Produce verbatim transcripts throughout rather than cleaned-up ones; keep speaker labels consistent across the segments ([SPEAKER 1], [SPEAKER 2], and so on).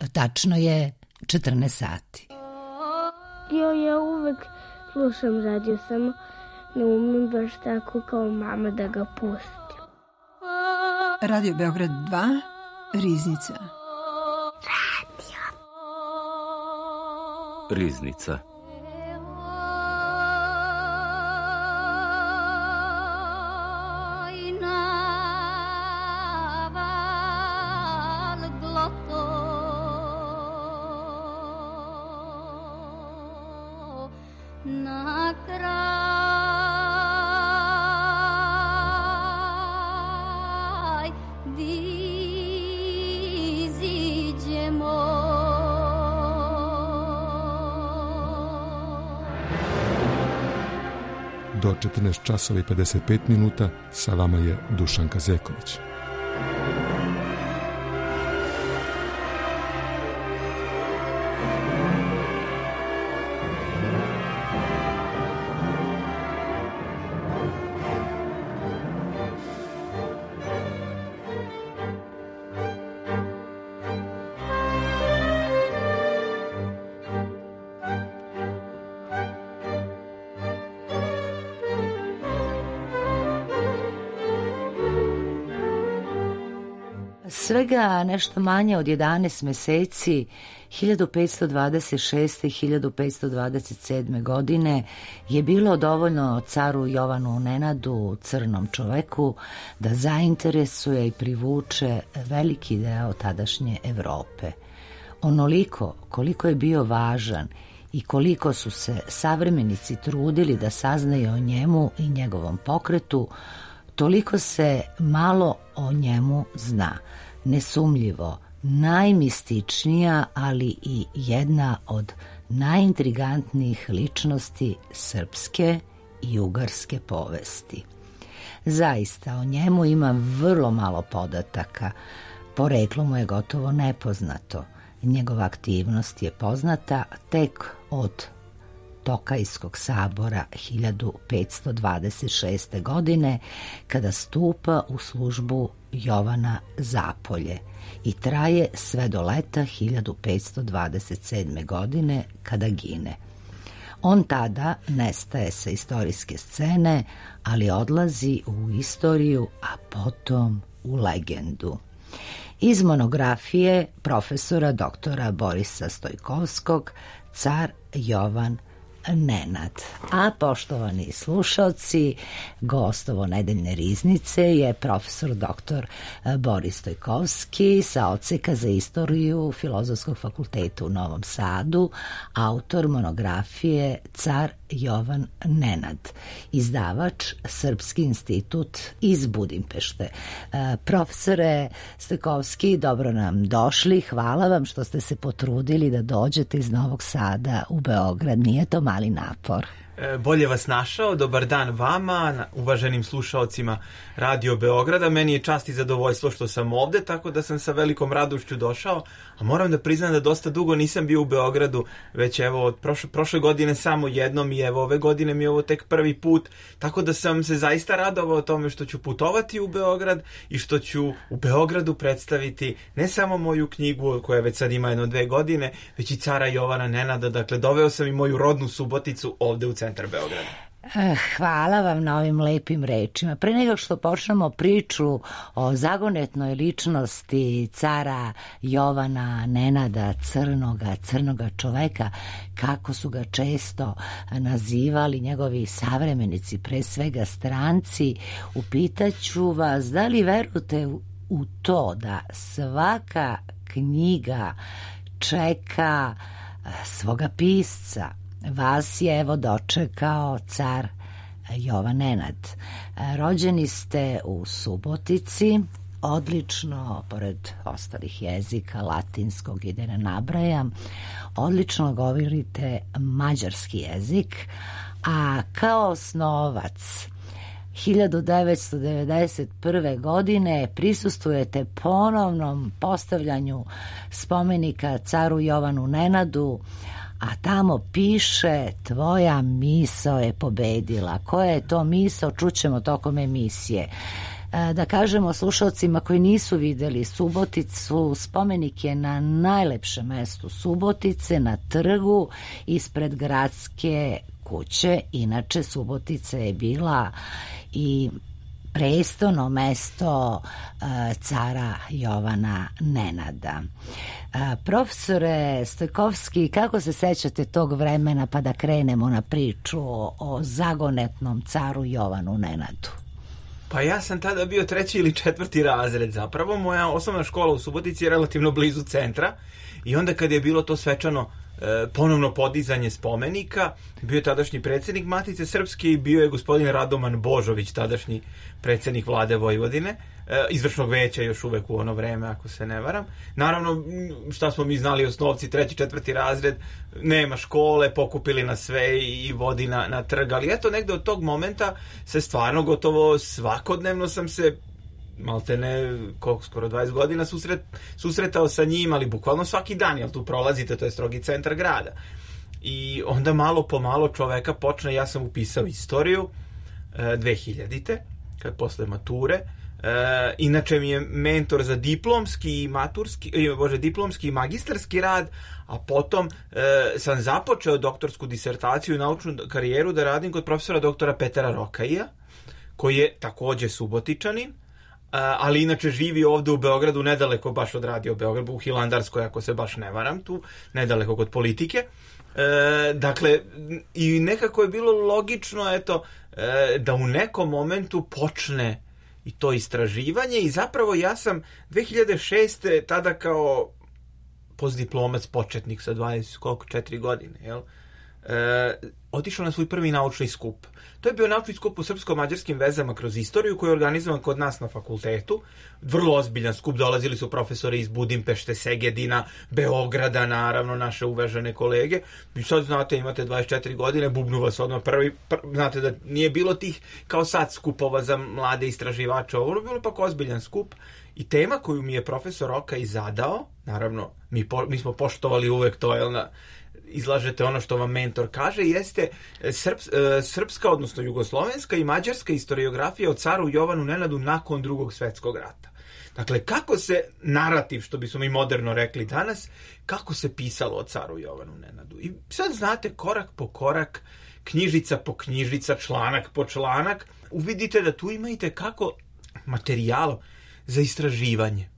[SPEAKER 1] tačno je četrnaest sati.
[SPEAKER 2] Jo, ja uvek slušam radio, samo ne umem baš tako kao mama da ga pustim.
[SPEAKER 3] Radio Beograd dva, Riznica.
[SPEAKER 2] Radio.
[SPEAKER 4] Riznica.
[SPEAKER 5] Do četrnaest časova i pedeset pet minuta sa vama je Dušan Kazeković.
[SPEAKER 1] Svega nešto manje od jedanaest meseci, hiljadu petsto dvadeset šeste. i hiljadu petsto dvadeset sedme. godine je bilo dovoljno caru Jovanu Nenadu, crnom čoveku, da zainteresuje i privuče veliki deo tadašnje Evrope. Onoliko koliko je bio važan i koliko su se savremenici trudili da saznaju o njemu i njegovom pokretu, toliko se malo o njemu zna. Nesumljivo, najmističnija, ali i jedna od najintrigantnijih ličnosti srpske i ugarske povesti. Zaista, o njemu ima vrlo malo podataka. Poreklo mu je gotovo nepoznato. Njegova aktivnost je poznata tek od Tokajskog sabora hiljadu petsto dvadeset šeste. godine, kada stupa u službu Jovana Zapolje i traje sve do leta hiljadu petsto dvadeset sedme. godine, kada gine. On tada nestaje sa istorijske scene, ali odlazi u istoriju, a potom u legendu. Iz monografije profesora doktora Borisa Stojkovskog, Car Jovan Nenad. A poštovani slušalci, gostovo nedeljne riznice je profesor doktor Boris Stojkovski sa odseka za istoriju Filozofskog fakulteta u Novom Sadu, autor monografije Car Jovan Nenad, izdavač Srpski institut iz Budimpešte. Profesore Stojkovski, dobro nam došli, hvala vam što ste se potrudili da dođete iz Novog Sada u Beograd, nije to mali napor.
[SPEAKER 6] Bolje vas našao, dobar dan vama, uvaženim slušaocima Radio Beograda. Meni je čast i zadovoljstvo što sam ovde, tako da sam sa velikom radošću došao, a moram da priznam da dosta dugo nisam bio u Beogradu, već evo od prošle, prošle godine samo jednom i evo ove godine mi je ovo tek prvi put, tako da sam se zaista radovao tome što ću putovati u Beograd i što ću u Beogradu predstaviti ne samo moju knjigu koja već sad ima jedno dve godine, već i Cara Jovana Nenada, dakle doveo sam i moju rodnu Suboticu ovde u centar Beograda.
[SPEAKER 1] Hvala vam na ovim lepim rečima. Pre nego što počnemo priču o zagonetnoj ličnosti cara Jovana Nenada, crnoga, crnoga čoveka, kako su ga često nazivali njegovi savremenici, pre svega stranci, upitaću vas da li verujete u to da svaka knjiga čeka svoga pisca. Vas je evo dočekao car Jovan Nenad. Rođeni ste u Subotici, odlično, pored ostalih jezika, latinskog i da ne nabrajam, odlično govorite mađarski jezik, a kao osnovac hiljadu devetsto devedeset prve. godine prisustvujete ponovnom postavljanju spomenika caru Jovanu Nenadu, a tamo piše tvoja misao je pobedila. Koja je to misao, čućemo tokom emisije. Da kažemo slušalcima koji nisu videli Suboticu, spomenik je na najlepšem mestu Subotice, na trgu ispred gradske kuće. Inače, Subotica je bila i prestolno mesto cara Jovana Nenada. Profesore Stojkovski, kako se sećate tog vremena, pa da krenemo na priču o zagonetnom caru Jovanu Nenadu?
[SPEAKER 6] Pa ja sam tada bio treći ili četvrti razred zapravo. Moja osnovna škola u Subotici je relativno blizu centra i onda kad je bilo to svečano e, ponovno podizanje spomenika, bio je tadašnji predsjednik Matice Srpske i bio je gospodin Radoman Božović, tadašnji predsjednik vlade Vojvodine, e, izvršnog veća još uvek u ono vreme, ako se ne varam. Naravno, šta smo mi znali osnovci, treći, četvrti razred, nema škole, pokupili nas sve i vodi na, na trg, ali eto, negde od tog momenta se stvarno gotovo svakodnevno sam se malte ne, koliko, skoro dvadeset godina susret, susretao sa njim, ali bukvalno svaki dan, jel tu prolazite, to je strogi centar grada. I onda malo po malo čoveka počne, ja sam upisao istoriju e, dve hiljadite, kad posle mature. E, inače mi je mentor za diplomski i maturski, bože, diplomski i magistarski rad, a potom e, sam započeo doktorsku disertaciju i naučnu karijeru da radim kod profesora doktora Petera Rokaija, koji je takođe Subotičanin, ali inače živi ovde u Beogradu, nedaleko baš od Radio Beograd, u Hilandarskoj, ako se baš ne varam, tu nedaleko kod Politike. E, dakle, i nekako je bilo logično, eto, e, da u nekom momentu počne i to istraživanje i zapravo ja sam dve hiljade šeste tada kao postdiplomac početnik sa dvadeset četiri godine, jel? E, otišao na svoj prvi naučni skup. To je bio naučni skup u srpsko-mađarskim vezama kroz istoriju koji je organizovan kod nas na fakultetu. Vrlo ozbiljan skup, dolazili su profesori iz Budimpešte, Segedina, Beograda, naravno, naše uvažene kolege. I sad znate, imate dvadeset četiri godine, bubnu vas odmah prvi, pr, znate da nije bilo tih kao sad skupova za mlade istraživače, ovo je bilo pak ozbiljan skup. I tema koju mi je profesor Rokaj zadao, naravno, mi, po, mi smo poštovali uvek to, jel na... izlažete ono što vam mentor kaže, jeste srps, srpska, odnosno jugoslovenska i mađarska historiografija o caru Jovanu Nenadu nakon Drugog svjetskog rata. Dakle, kako se narativ, što bismo mi moderno rekli danas, kako se pisalo o caru Jovanu Nenadu. I sad znate, korak po korak, knjižica po knjižica, članak po članak, uvidite da tu imate kako materijal za istraživanje.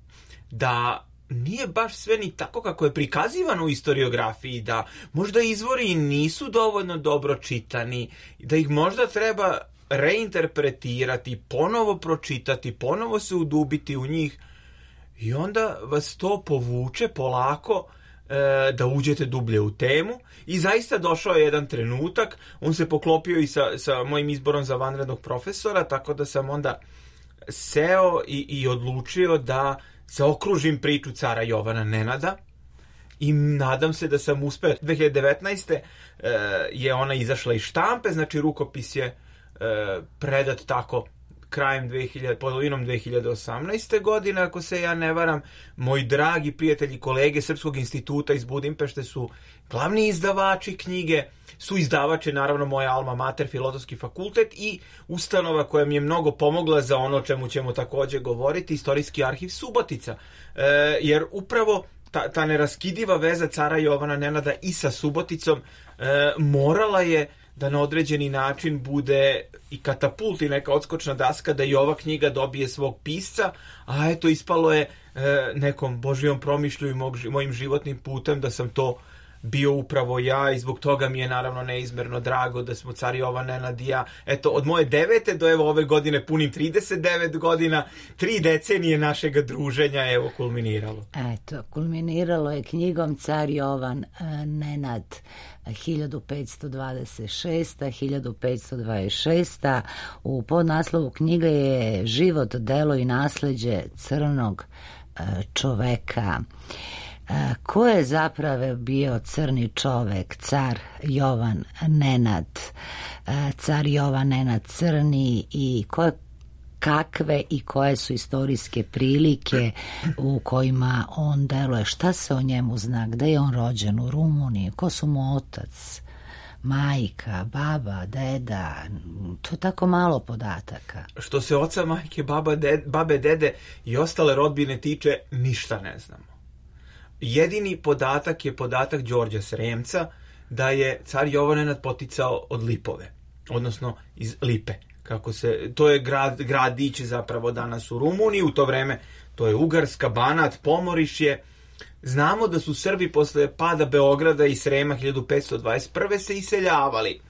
[SPEAKER 6] Da nije baš sve ni tako kako je prikazivano u historiografiji, da možda izvori nisu dovoljno dobro čitani, da ih možda treba reinterpretirati, ponovo pročitati, ponovo se udubiti u njih i onda vas to povuče polako e, da uđete dublje u temu i zaista došao je jedan trenutak, on se poklopio i sa, sa mojim izborom za vanrednog profesora, tako da sam onda seo i, i odlučio da zaokružim priču cara Jovana Nenada i nadam se da sam uspeo. dve hiljade devetnaeste. E, je ona izašla iz štampe, znači rukopis je e, predat tako krajem dve hiljade, polovinom dve hiljade osamnaeste. godine, ako se ja ne varam. Moji dragi prijatelji, kolege Srpskog instituta iz Budimpešte su glavni izdavači knjige, su izdavače, naravno, moja alma mater, Filozofski fakultet i ustanova koja mi je mnogo pomogla za ono o čemu ćemo takođe govoriti, Istorijski arhiv Subotica. E, jer upravo ta, ta neraskidiva veza cara Jovana Nenada i sa Suboticom e, morala je da na određeni način bude i katapult i neka odskočna daska da i ova knjiga dobije svog pisca, a eto ispalo je e, nekom božijom promišlju i mog, mojim životnim putem da sam to bio upravo ja i zbog toga mi je naravno neizmerno drago da smo car Jovan Nenad i ja, eto, od moje devete do evo ove godine punim trideset devet godina, tri decenije našega druženja, evo, kulminiralo.
[SPEAKER 1] Eto, kulminiralo je knjigom Car Jovan Nenad hiljadu petsto dvadeset šesta do hiljadu petsto dvadeset šesta. U podnaslovu knjige je život, delo i nasleđe crnog čoveka. Ko je zapravo bio crni čovek, car Jovan Nenad, car Jovan Nenad crni i koje, kakve i koje su istorijske prilike u kojima on deluje, šta se o njemu zna, gde je on rođen, u Rumuniji, ko su mu otac, majka, baba, deda, to tako malo podataka.
[SPEAKER 6] Što se oca, majke, baba, ded, babe, dede i ostale rodbine tiče, ništa ne znamo. Jedini podatak je podatak Đorđa Sremca da je car Jovan Nenad poticao od Lipove, odnosno iz Lipe. Kako se, to je grad, gradić zapravo danas u Rumuniji, u to vreme to je Ugarska, Banat, Pomorišje. Znamo da su Srbi posle pada Beograda i Srema hiljadu petsto dvadeset prve se iseljavali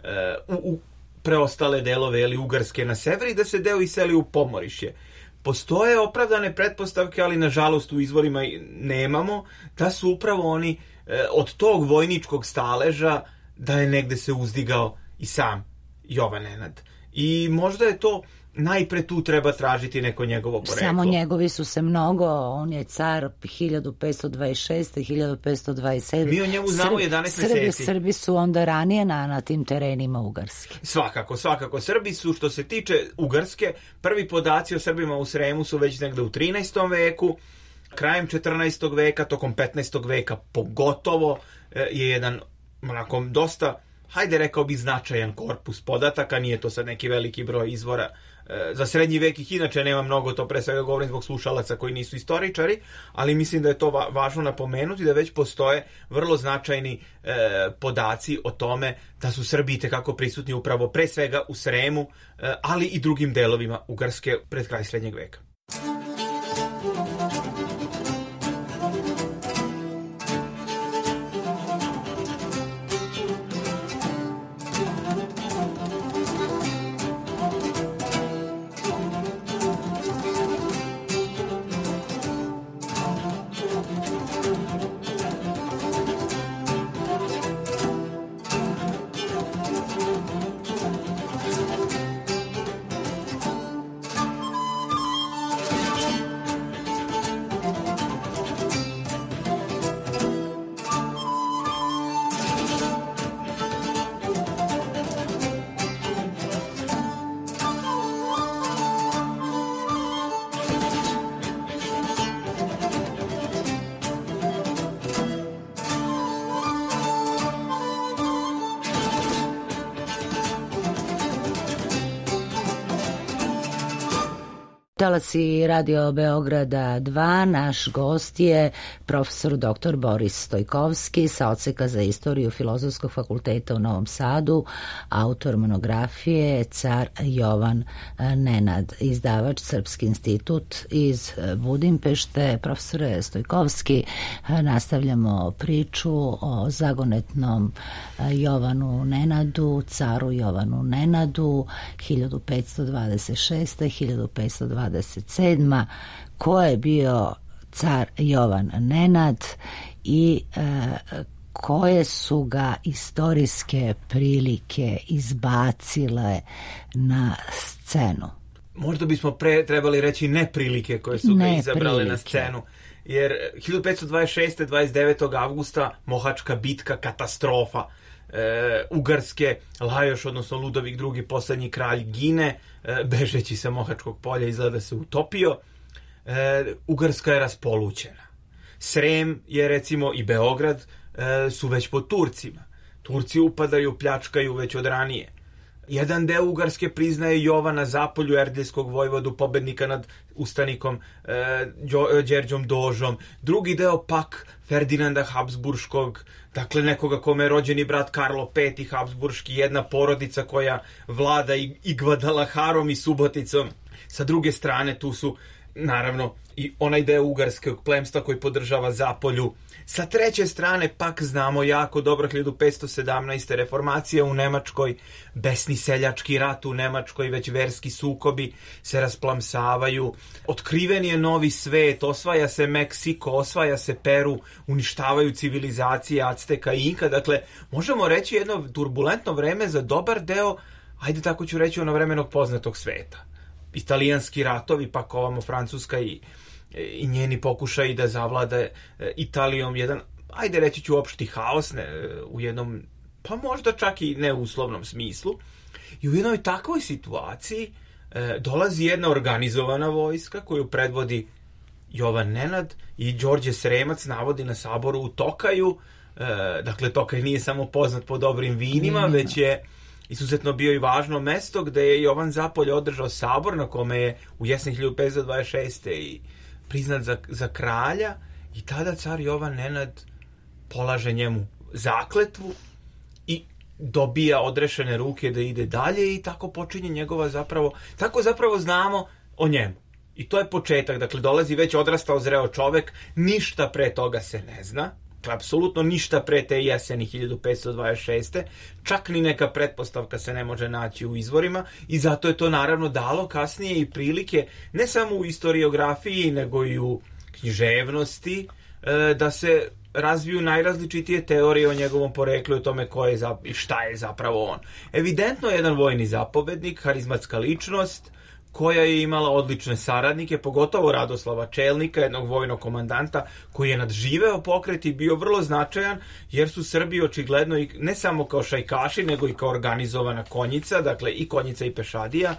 [SPEAKER 6] e, u, u preostale delove ili Ugarske na sever i da se deo iseli u Pomorišje. Postoje opravdane pretpostavke, ali nažalost u izvorima nemamo, da su upravo oni e, od tog vojničkog staleža da je negde se uzdigao i sam Jovan Nenad. I možda je to, najpre tu treba tražiti neko njegovo poreklo.
[SPEAKER 1] Samo njegovi su se mnogo, on je car hiljadu petsto dvadeset šeste. hiljadu petsto dvadeset sedme.
[SPEAKER 6] Mi o njemu znamo Srbi, jedanaest
[SPEAKER 1] Srbi,
[SPEAKER 6] meseci.
[SPEAKER 1] Srbi su onda ranije na, na tim terenima Ugarske.
[SPEAKER 6] Svakako, svakako. Srbi su, što se tiče Ugarske, prvi podaci o Srbima u Sremu su već negde u trinaestom veku, krajem četrnaestog veka, tokom petnaestog veka pogotovo je jedan onako dosta, hajde rekao bi, značajan korpus podataka, nije to sad neki veliki broj izvora. E, za srednji vek ih inače nema mnogo, to pre svega govorim zbog slušalaca koji nisu istoričari, ali mislim da je to va- važno napomenuti, da već postoje vrlo značajni e, podaci o tome da su Srbi itekako prisutni upravo pre svega u Sremu, e, ali i drugim delovima Ugarske pred kraj srednjeg veka.
[SPEAKER 1] Talasi Radio Beograda dva, naš gost je profesor doktor Boris Stojkovski sa odseka za istoriju Filozofskog fakulteta u Novom Sadu, autor monografije Car Jovan Nenad, izdavač Srpski institut iz Budimpešte. Profesore Stojkovski, nastavljamo priču o zagonetnom Jovanu Nenadu, caru Jovanu Nenadu, hiljadu petsto dvadeset šeste. hiljadu petsto dvadeset sedme. Ko je bio car Jovan Nenad i e, koje su ga istorijske prilike izbacile na scenu?
[SPEAKER 6] Možda bismo pre trebali reći neprilike koje su ga izabrale prilike na scenu. Jer hiljadu petsto dvadeset šeste. dvadeset devetog avgusta Mohačka bitka, katastrofa. E, Ugarske, Lajoš, odnosno Ludovik drugi, poslednji kralj, gine, e, bežeći sa Mohačkog polja, izgleda se utopio. E, Ugarska je raspolućena. Srem je, recimo, i Beograd e, su već pod Turcima. Turci upadaju, pljačkaju već od ranije. Jedan deo Ugarske priznaje Jovana Zapolju, erdeljskog vojvodu, pobednika nad ustanikom e, Đerđom Dožom. Drugi deo pak Ferdinanda Habsburškog, dakle nekoga kome je rođeni brat Karlo peti Habsburški, jedna porodica koja vlada i, i Gvadalaharom i Suboticom. Sa druge strane tu su naravno i onaj deo ugarskog plemstva koji podržava Zapolju. Sa treće strane pak znamo jako dobro hiljadu petsto sedamnaeste. reformacija u Nemačkoj, besni seljački rat u Nemačkoj, već verski sukobi se rasplamsavaju. Otkriven je novi svet, osvaja se Meksiko, osvaja se Peru, uništavaju civilizacije Acteka i Inka. Dakle, možemo reći jedno turbulentno vreme za dobar deo, ajde tako ću reći, ono vremenog poznatog sveta. Italijanski ratovi, pak ovamo Francuska i i njeni pokušaji da zavlada Italijom jedan, ajde reći ću, opšti haos, ne, u jednom, pa možda čak i neuslovnom smislu. I u jednoj takvoj situaciji e, dolazi jedna organizovana vojska koju predvodi Jovan Nenad i Đorđe Sremac navodi na saboru u Tokaju e, dakle Tokaj nije samo poznat po dobrim vinima, mm. već je izuzetno bio i važno mesto gde je Jovan Zapolje održao sabor na kome je u jesen hiljadu petsto dvadeset šeste. i priznat za, za kralja, i tada car Jovan Nenad polaže njemu zakletvu i dobija odrešene ruke da ide dalje, i tako počinje njegova zapravo, tako zapravo znamo o njemu. I to je početak, dakle dolazi već odrastao zreo čovek, ništa pre toga se ne zna, apsolutno ništa pre te jeseni hiljadu petsto dvadeset šeste. Čak ni neka pretpostavka se ne može naći u izvorima, i zato je to naravno dalo kasnije i prilike, ne samo u historiografiji, nego i u književnosti, da se razviju najrazličitije teorije o njegovom poreklu i o tome ko je i šta je zapravo on. Evidentno je jedan vojni zapovednik, harizmatska ličnost, koja je imala odlične saradnike, pogotovo Radoslava Čelnika, jednog vojnog komandanta koji je nadživeo pokret i bio vrlo značajan, jer su Srbi očigledno i ne samo kao šajkaši, nego i kao organizovana konjica, dakle i konjica i pešadija,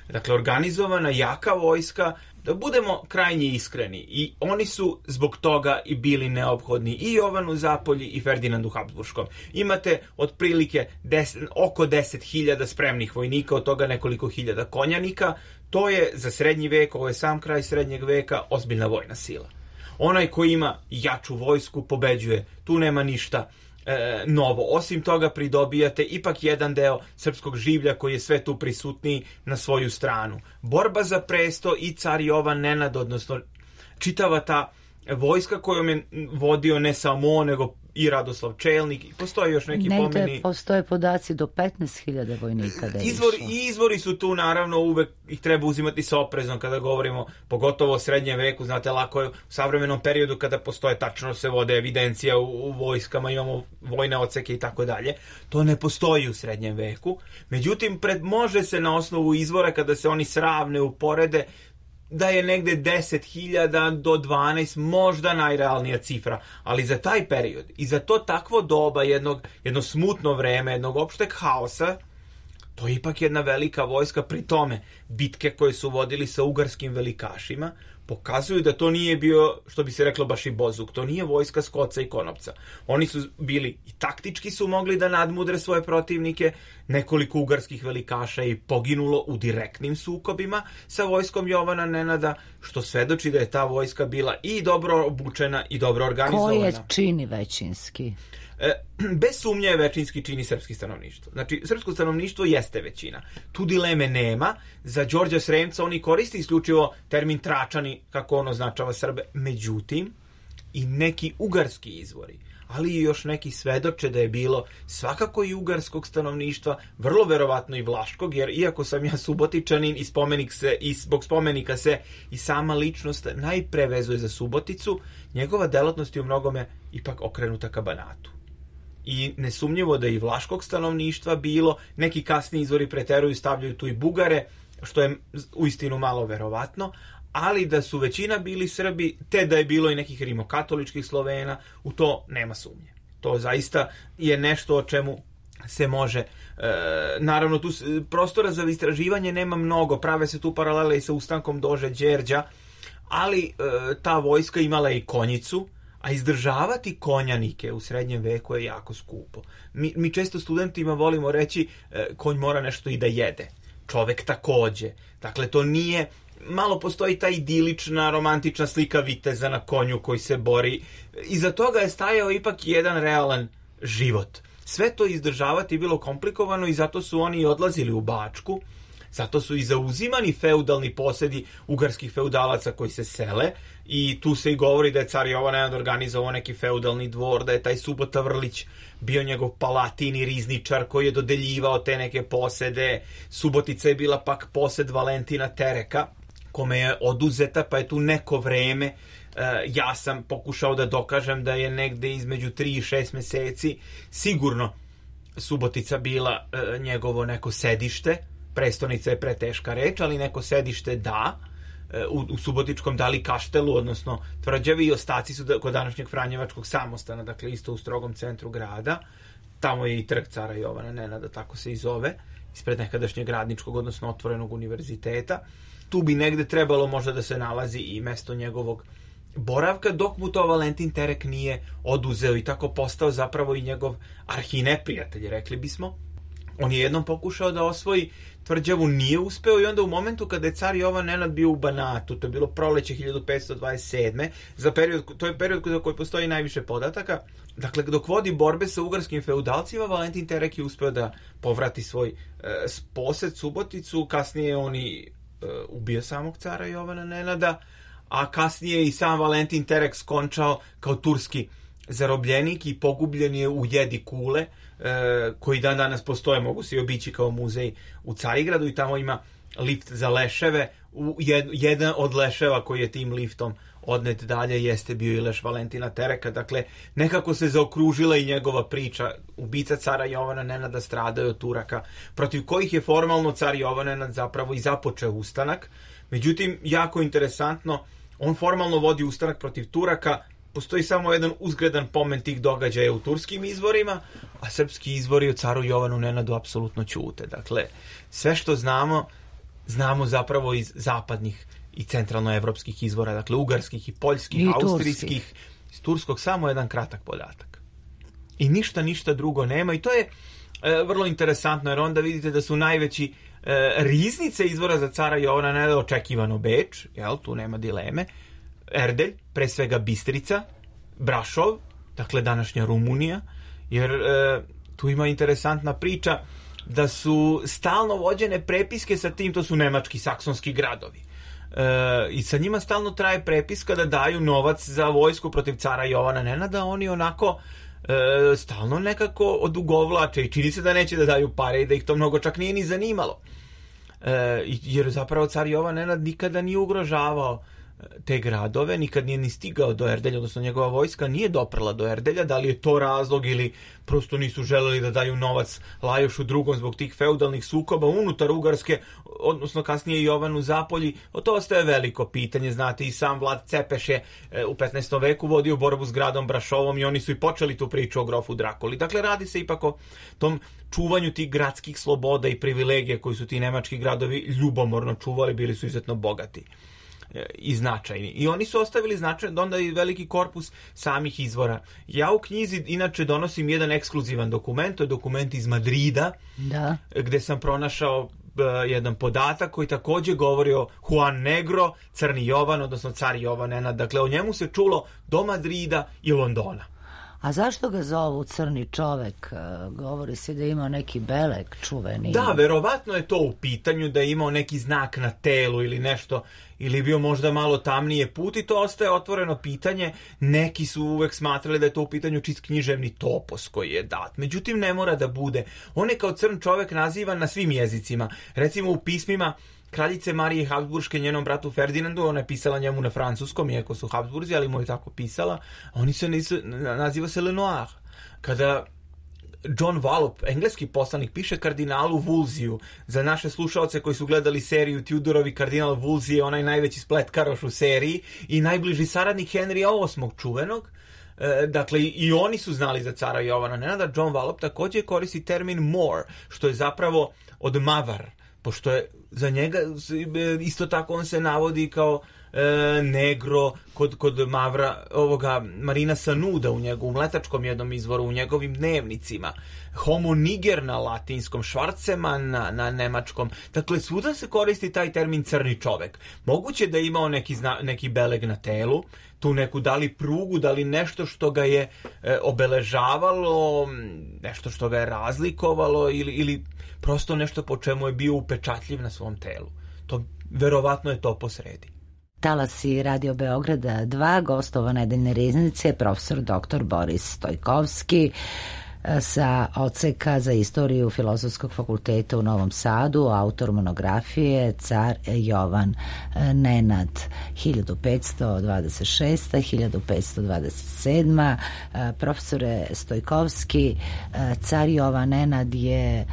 [SPEAKER 6] dakle organizovana, jaka vojska. Da budemo krajnje iskreni, i oni su zbog toga i bili neophodni i Jovanu Zapolji i Ferdinandu Habsburškom. Imate otprilike deset, oko deset hiljada spremnih vojnika, od toga nekoliko hiljada konjanika. To je za srednji vek, ovo je sam kraj srednjeg veka, ozbiljna vojna sila. Onaj koji ima jaču vojsku pobeđuje, tu nema ništa E, novo. Osim toga pridobijate ipak jedan deo srpskog življa koji je sve tu prisutniji na svoju stranu. Borba za presto i car Jovan Nenad, odnosno čitava ta vojska kojom je vodio ne samo on, nego i Radoslav Čelnik, i postoje još neki
[SPEAKER 1] Negde
[SPEAKER 6] pomeni.
[SPEAKER 1] Ne, postoje podaci do petnaest hiljada vojnika da je
[SPEAKER 6] Izvori,
[SPEAKER 1] išlo.
[SPEAKER 6] I izvori su tu, naravno, uvek ih treba uzimati sa oprezom kada govorimo, pogotovo o srednjem veku. Znate, lako je u savremenom periodu kada postoje, tačno se vode evidencija u, u vojskama, imamo vojne odseke i tako dalje. To ne postoji u srednjem veku. Međutim, pred, može se na osnovu izvora, kada se oni sravne, uporede, da je negde deset hiljada do dvanaest možda najrealnija cifra, ali za taj period i za to takvo doba, jednog, jedno smutno vreme, jednog opšteg haosa, to je ipak jedna velika vojska. Pri tome, bitke koje su vodili sa ugarskim velikašima pokazuju da to nije bio, što bi se reklo, baš i bozuk. To nije vojska Skoca i Konopca. Oni su bili i taktički su mogli da nadmudre svoje protivnike. Nekoliko ugarskih velikaša je poginulo u direktnim sukobima sa vojskom Jovana Nenada, što svedoči da je ta vojska bila i dobro obučena i dobro organizovana.
[SPEAKER 1] Ko je čini većinski?
[SPEAKER 6] Bez sumnje je većinski čini srpski stanovništvo. Znači, srpsko stanovništvo jeste većina. Tu dileme nema. Za Đorđa Sremca oni koristi isključivo termin Tračani, kako on označava Srbe. Međutim, i neki ugarski izvori, ali i još neki svedoče da je bilo svakako i ugarskog stanovništva, vrlo verovatno i vlaškog, jer iako sam ja Subotičanin i spomenik se, i zbog spomenika se i sama ličnost najpre vezuje za Suboticu, njegova delatnost je u mnogome ipak okrenuta ka Banatu. I nesumnjivo da je i vlaškog stanovništva bilo, neki kasni izvori preteruju, stavljaju tu i Bugare, što je uistinu malo verovatno, ali da su većina bili Srbi, te da je bilo i nekih rimokatoličkih Slovena, u to nema sumnje. To zaista je nešto o čemu se može, e, naravno tu prostora za istraživanje nema mnogo, prave se tu paralele i sa ustankom Dože Đerđa, ali e, ta vojska imala i konjicu, a izdržavati konjanike u srednjem veku je jako skupo. Mi, mi često studentima volimo reći e, konj mora nešto i da jede. Čovek takođe. Dakle, to nije, malo postoji ta idilična, romantična slika viteza na konju koji se bori. Iza toga je stajao ipak jedan realan život. Sve to izdržavati je bilo komplikovano i zato su oni odlazili u Bačku. Zato su i zauzimani feudalni posedi ugarskih feudalaca koji se sele, i tu se i govori da je car Jovan Nenad organizovao neki feudalni dvor, da je taj Subota Vrlić bio njegov palatin i rizničar koji je dodeljivao te neke posede. Subotica je bila pak posed Valentina Tereka, kome je oduzeta, pa je tu neko vreme, ja sam pokušao da dokažem da je negde između tri i šest meseci sigurno Subotica bila njegovo neko sedište. Prestonica je preteška reč, ali neko sedište da, u, u Subotičkom dali kaštelu, odnosno tvrđavi, i ostaci su da, kod današnjeg Franjevačkog samostana, dakle isto u strogom centru grada. Tamo je i trg cara Jovana Nenada, tako se i zove, ispred nekadašnjeg radničkog, odnosno otvorenog univerziteta. Tu bi negde trebalo možda da se nalazi i mesto njegovog boravka, dok mu to Valentin Terek nije oduzeo i tako postao zapravo i njegov arhineprijatelj, rekli bismo. On je jednom pokušao da osvoji tvrđavu, nije uspeo i onda u momentu kada je car Jovan Nenad bio u Banatu, to je bilo proleće hiljadu petsto dvadeset sedme, za period, to je period za koji postoji najviše podataka, dakle dok vodi borbe sa ugarskim feudalcima, Valentin Terek je uspeo da povrati svoj e, posed Suboticu, kasnije on i e, ubio samog cara Jovana Nenada, a kasnije i sam Valentin Terek skončao kao turski zarobljenik i pogubljen je u Jedi Kule, e, koji dan danas postoje, mogu se i obići kao muzej u Carigradu i tamo ima lift za leševe. U jed, jedan od leševa koji je tim liftom odnet dalje jeste bio i leš Valentina Tereka. Dakle, nekako se zaokružila i njegova priča. Ubica cara Jovana Nenada stradao od Turaka, protiv kojih je formalno car Jovan Nenad zapravo i započeo ustanak. Međutim, jako interesantno, on formalno vodi ustanak protiv Turaka. Postoji samo jedan uzgredan pomen tih događaja u turskim izvorima, a srpski izvori o caru Jovanu Nenadu apsolutno ćute. Dakle, sve što znamo, znamo zapravo iz zapadnih i centralnoevropskih izvora, dakle ugarskih i poljskih, I austrijskih, iz turskog samo jedan kratak podatak. I ništa, ništa drugo nema i to je e, vrlo interesantno, jer onda vidite da su najveći e, riznice izvora za cara Jovana Nenada očekivano Beč, jel, tu nema dileme, Erdelj, pre svega Bistrica, Brašov, dakle današnja Rumunija, jer e, tu ima interesantna priča da su stalno vođene prepiske sa tim, to su nemački, saksonski gradovi. E, I sa njima stalno traje prepiska da daju novac za vojsku protiv cara Jovana Nenada, oni onako e, stalno nekako odugovlače i čini se da neće da daju pare i da ih to mnogo čak nije ni zanimalo. E, jer zapravo car Jovan Nenad nikada nije ugrožavao te gradove, nikad nije ni stigao do Erdelja, odnosno njegova vojska nije doprla do Erdelja, da li je to razlog ili prosto nisu želeli da daju novac Lajošu drugom zbog tih feudalnih sukoba unutar Ugarske, odnosno kasnije Jovanu Zapolji, o to ostaje veliko pitanje, znate, i sam Vlad Cepeš je u petnaestom veku vodio borbu s gradom Brašovom i oni su i počeli tu priču o grofu Drakuli. Dakle, radi se ipak o tom čuvanju tih gradskih sloboda i privilegija koji su ti nemački gradovi ljubomorno čuvali, bili su izuzetno bogati i značajni. I oni su ostavili značajan onda i veliki korpus samih izvora. Ja u knjizi inače donosim jedan ekskluzivan dokument, to je dokument iz Madrida, da. Gde sam pronašao uh, jedan podatak koji takođe govori o Juan Negro, Crni Jovan, odnosno car Jovan Nenad. Dakle, o njemu se čulo do Madrida i Londona.
[SPEAKER 1] A zašto ga zovu crni čovek? Govori se da je imao neki belek čuveni.
[SPEAKER 6] Da, verovatno je to u pitanju, da je imao neki znak na telu ili nešto, ili bio možda malo tamnije put i to ostaje otvoreno pitanje. Neki su uvek smatrali da je to u pitanju čist književni topos koji je dat. Međutim, ne mora da bude. On je kao crn čovek nazivan na svim jezicima. Recimo u pismima kraljice Marije Habsburške njenom bratu Ferdinandu, ona je pisala njemu na francuskom, iako su Habsburzi, ali mu je tako pisala, oni se nisu, naziva se Lenoir. Kada John Wallop, engleski poslanik, piše kardinalu Wolseyu, za naše slušaoce koji su gledali seriju Tudorovi, kardinal Wolsey je onaj najveći spletkaroš u seriji i najbliži saradnik Henrya osmog čuvenog. E, dakle, i oni su znali za cara Jovana Nenada. John Wallop također koristi termin Moor, što je zapravo od Mavar, pošto je za njega isto tako on se navodi kao e, negro kod, kod Mavra, ovoga Marina Sanuda u njegovom letačkom jednom izvoru, u njegovim dnevnicima, homo niger na latinskom, Schwarzeman na, na nemačkom. Dakle, svuda se koristi taj termin crni čovek. Moguće da je imao neki, zna, neki beleg na telu, tu neku da li prugu, da li nešto što ga je e, obeležavalo, nešto što ga je razlikovalo ili, ili prosto nešto po čemu je bio upečatljiv na svom telu. To verovatno je to posredi.
[SPEAKER 1] Talasi Radio Beograda dva, gostova nedeljne riznice, profesor doktor Boris Stojkovski sa odseka za istoriju Filozofskog fakulteta u Novom Sadu, autor monografije Car Jovan Nenad hiljadu petsto dvadeset šesta do hiljadu petsto dvadeset sedma. Profesore Stojkovski, car Jovan Nenad je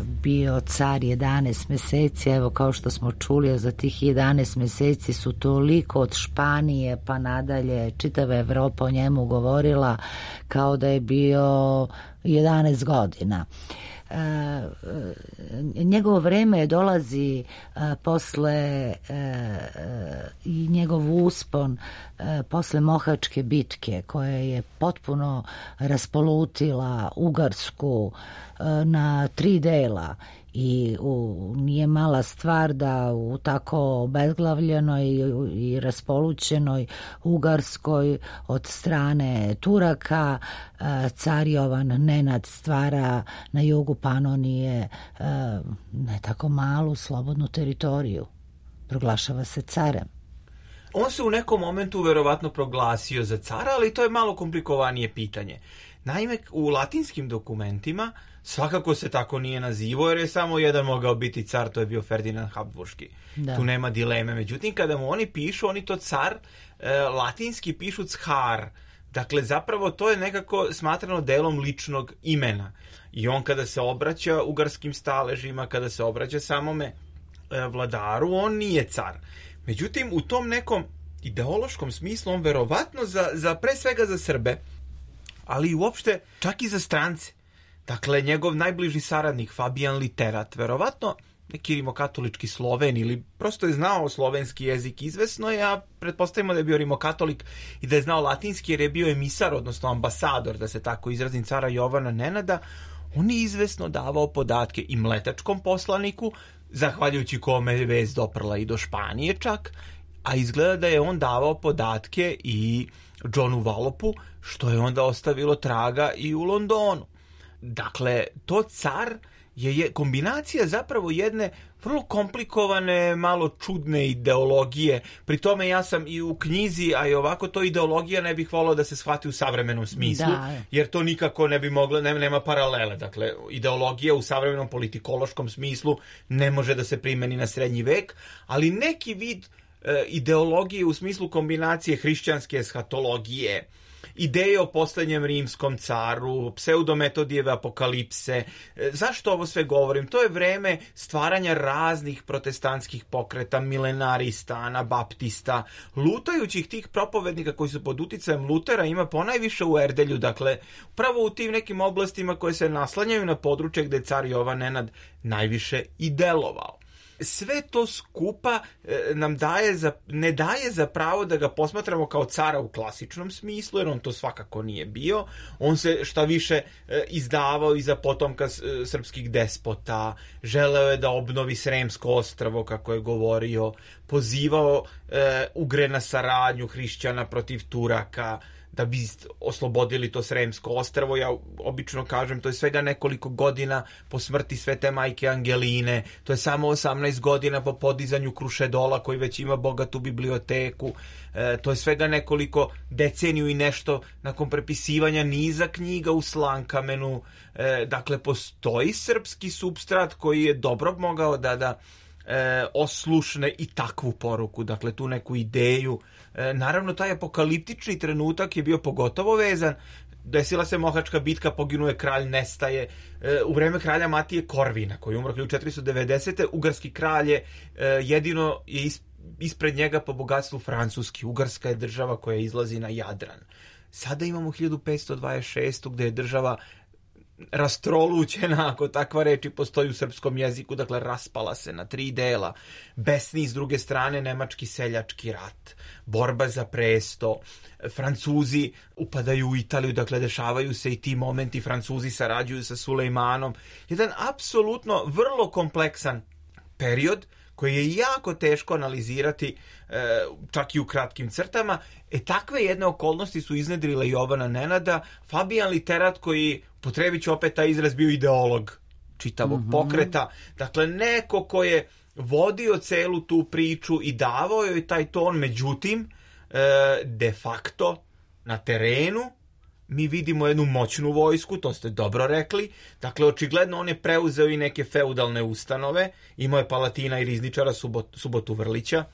[SPEAKER 1] bio car jedanaest meseci, evo kao što smo čuli, za tih jedanaest meseci su toliko od Španije pa nadalje čitava Evropa o njemu govorila kao da je bio jedanaest godina. Uh, njegovo vreme dolazi uh, posle uh, i njegov uspon e, posle Mohačke bitke koja je potpuno raspolutila Ugarsku e, na tri dela i u, nije mala stvar da u tako obezglavljenoj i raspolućenoj Ugarskoj od strane Turaka e, car Jovan Nenad stvara na jugu Panonije e, ne tako malu slobodnu teritoriju. Proglašava se carem.
[SPEAKER 6] On se u nekom momentu verovatno proglasio za cara, ali to je malo komplikovanije pitanje. Naime, u latinskim dokumentima svakako se tako nije nazivao, jer je samo jedan mogao biti car, to je bio Ferdinand Habsburški. Da. Tu nema dileme. Međutim, kada mu oni pišu, oni to car e, latinski pišu car. Dakle, zapravo to je nekako smatrano delom ličnog imena. I on kada se obraća ugarskim staležima, kada se obraća samome e, vladaru, on nije car. Međutim, u tom nekom ideološkom smislu on verovatno za, za pre svega za Srbe, ali i uopšte čak i za strance. Dakle, njegov najbliži saradnik Fabijan Literat, verovatno neki rimokatolički Sloven ili prosto je znao slovenski jezik izvesno, ja pretpostavimo da je bio rimokatolik i da je znao latinski jer je bio emisar, odnosno ambasador, da se tako izrazim, cara Jovana Nenada. On je izvesno davao podatke i mletačkom poslaniku, zahvaljujući kome je vest doprla i do Španije čak, a izgleda da je on davao podatke i Johnu Wallopu, što je onda ostavilo traga i u Londonu. Dakle, to car je, je kombinacija zapravo jedne vrlo komplikovane, malo čudne ideologije. Pri tome ja sam i u knjizi, a i ovako to ideologija ne bih volao da se shvati u savremenom smislu, da. Jer to nikako ne bi moglo, ne, nema paralele. Dakle, ideologija u savremenom politikološkom smislu ne može da se primeni na srednji vek, ali neki vid e, ideologije u smislu kombinacije hrišćanske eshatologije, ideje o poslednjem rimskom caru, pseudometodijeve apokalipse. Zašto ovo sve govorim? To je vreme stvaranja raznih protestantskih pokreta, milenarista, anabaptista, lutajućih tih propovednika koji su pod uticajem Lutera ima ponajviše u Erdelju, dakle, upravo u tim nekim oblastima koje se naslanjaju na područje gde je car Jovan Nenad najviše i delovao. Sve to skupa e, nam daje za, ne daje za pravo da ga posmatramo kao cara u klasičnom smislu, jer on to svakako nije bio. On se šta više e, izdavao iza potomka e, srpskih despota, želeo je da obnovi Sremsko ostrvo, kako je govorio, pozivao e, Ugre na saradnju hrišćana protiv Turaka, da bi oslobodili to Sremsko ostrvo. Ja obično kažem, to je svega nekoliko godina po smrti svete majke Angeline, to je samo osamnaest godina po podizanju Krušedola koji već ima bogatu biblioteku, e, to je svega nekoliko deceniju i nešto nakon prepisivanja niza knjiga u Slankamenu. E, dakle, postoji srpski supstrat koji je dobro mogao da da E, oslušne i takvu poruku, dakle tu neku ideju. E, naravno, taj apokaliptični trenutak je bio pogotovo vezan. Desila se Mohačka bitka, poginuje kralj, nestaje. E, u vreme kralja Matije Korvina, koji je umro hiljadu četiristo devedesete. Ugarski kralj je e, jedino je is, ispred njega po bogatstvu francuski. Ugarska je država koja izlazi na Jadran. Sada imamo hiljadu petsto dvadeset šestu gde je država rastrolućena, ako takva reči postoji u srpskom jeziku, dakle raspala se na tri dela. Besni s druge strane nemački seljački rat, borba za presto, Francuzi upadaju u Italiju, dakle dešavaju se i ti momenti, Francuzi sarađuju sa Sulejmanom. Jedan apsolutno vrlo kompleksan period koji je jako teško analizirati čak i u kratkim crtama. E takve jedne okolnosti su iznedrile Jovana Nenada. Fabijan Literat, koji, potrebit ću opet taj izraz, bio ideolog čitavog mm-hmm. pokreta. Dakle, neko ko je vodio celu tu priču i davao joj taj ton, međutim, de facto na terenu mi vidimo jednu moćnu vojsku, to ste dobro rekli. Dakle, očigledno on je preuzeo i neke feudalne ustanove. Imao je Palatina i rizničara Subot, Subotu Vrlića.